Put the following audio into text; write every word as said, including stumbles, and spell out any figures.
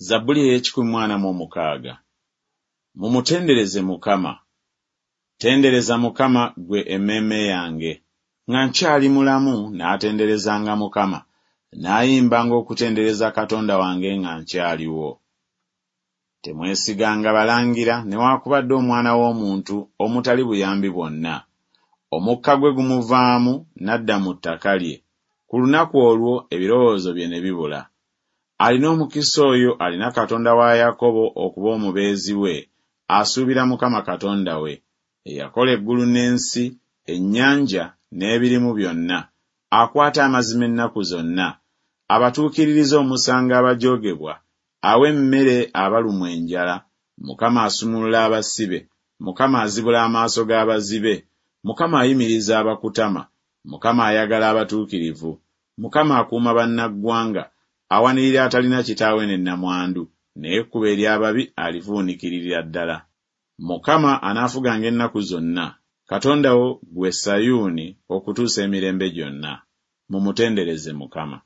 Zabbuli ey'ekikumi mu ana mu omukaaga. Mumutendereze Mukama. Tendereza Mukama ggwe emmeeme yange. Nga nkyali mulamu naatenderezanga Mukama, naayimbanga okutendereza Katonda wange nga nkyaliwo. Temwesiganga balangira newaakubadde omwana w'omuntu omutali buyambi bwonna. Omukka gwe gumuvaamu n'adda mu ttaka lye, ku lunaku olwo ebirowoozo bye ne bibula. Alina omukisa oyo alina Katonda wa Yakobo okuba omubeezi we, asuubira Mukama Katonda we, eyakola eggulu n'ensi, ennyanja n'ebirimu byonna, akwata amazima ennaku zonna, abatuukiririza omusango abajoogebwa, awa emmere abalumwa enjala. Mukama asumulula abasibe, Mukama azibula amaaso g'abazibe, Mukama ayimiriza abakutama, Mukama ayagala abatuukirivu, Mukama akuuma bannaggwanga, awanirira atalina kitaawe ne nnamwandu, naye ekkubo ery'ababi alivuunikiririra ddala. Mukama anaafuganga ennaku zonna, Katonda wo, ggwe Sayuuni, okutuusa emirembe gyonna. Mumutendereze Mukama.